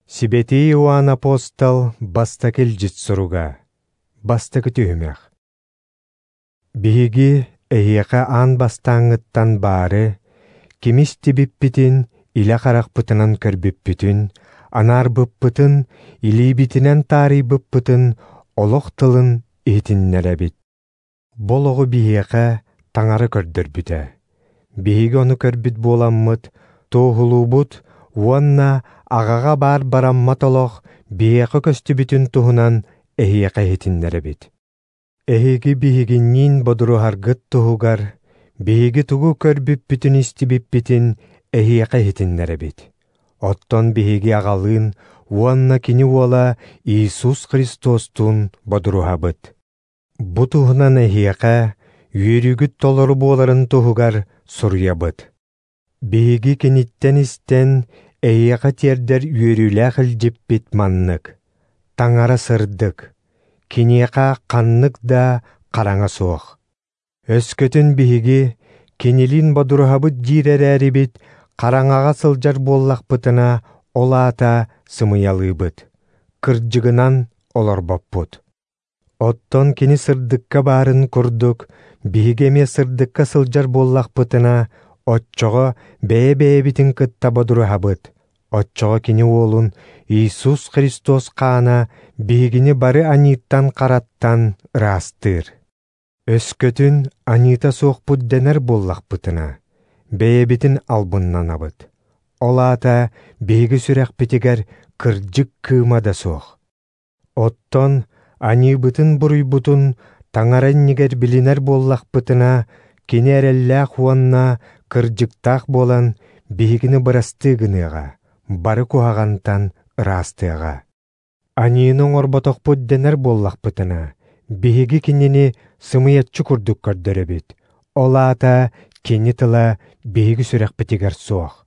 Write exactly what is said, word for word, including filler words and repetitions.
Сибэтий Иоанн апостол бастакы илдьит суруга, бастакы түһүмэх. Биһиги эһиэхэ аан бастааҥҥыттан баары, кими истибиппитин, илэ харахпытынан көрбүппүтүн, анаарбыппытын, илиибитинэн таарыйбыппытын олох тылын иһитиннэрэбит. Бу олоҕу биһиэхэ Таҥара көрдөрбүтэ. Биһиги ону көрбүт буоламмыт, туоһулуубут уонна аҕаҕа баар бараммат олох биһиэхэ көстүбүтүн туһунан эһиэхэ иһитиннэрэбит. Эһиги биһигинниин бодуруһаргыт туһугар биһиги тугу көрбүппүтүн истибиппитин эһиэхэ иһитиннэрэбит. Оттон биһиги аҕалыын уонна кини уола Иисус Христостуун бодуруһабыт. Бу туһунан эһиэхэ үөрүүгүт толору буоларын туһугар суруйабыт. Биһиги киниттэн истэн эһиэхэ тиэрдэр үөрүүлээх илдьиппит маннык: Таҥара сырдык, киниэхэ ханнык да хараҥа суох. Өскөтүн биһиги кинилиин бодуруһабыт диир эрээрибит, хараҥаҕа сылдьар буоллахпытына, ол аата сымыйалыыбыт, кырдьыгынан олорбоппут. Оттон кини сырдыкка баарын курдук, биһиги эмиэ сырдыкка сылдьар буоллахпытына, оччоҕо бэйэ-бэйэбитин кытта бодуруһабыт, оччоҕо кини уолун Иисус Христос хаана биһигини бары аньыыттан-хараттан ыраастыыр. Өскөтүн аньыыта суохпут дэнэр буоллахпытына, бэйэбитин албыннанабыт. Ол аата биһиги сүрэхпитигэр кырдьык кыыма да суох. Оттон аньыыбытын-буруйбутун Таҥара иннигэр билинэр буоллахпытына, кини эрэллээх уонна кырдьыктаах буолан биһигини бырастыы гыныаҕа, бары куһаҕантан ыраастыаҕа. Аньыыны оҥорботохпут дэнэр буоллахпытына, биһиги кинини сымыйаччы курдук көрдөрөбүт, ол аата кини тыла биһиги сүрэхпитигэр суох.